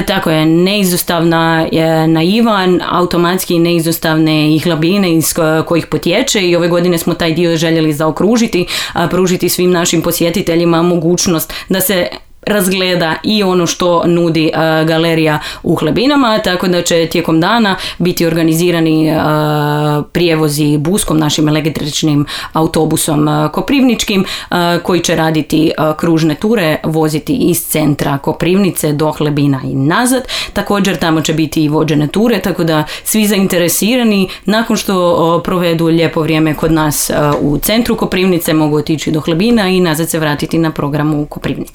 Tako je, neizostavna naivan, automatski neizostavne i Hlebine iz kojih potječe i ove godine smo taj dio željeli zaokružiti, pružiti svim našim posjetiteljima mogućnost da se razgleda i ono što nudi galerija u Hlebinama, tako da će tijekom dana biti organizirani prijevozi buskom, našim električnim autobusom koprivničkim, koji će raditi kružne ture, voziti iz centra Koprivnice do Hlebina i nazad. Također tamo će biti i vođene ture, tako da svi zainteresirani nakon što provedu lijepo vrijeme kod nas u centru Koprivnice mogu otići do Hlebina i nazad se vratiti na programu u Koprivnici.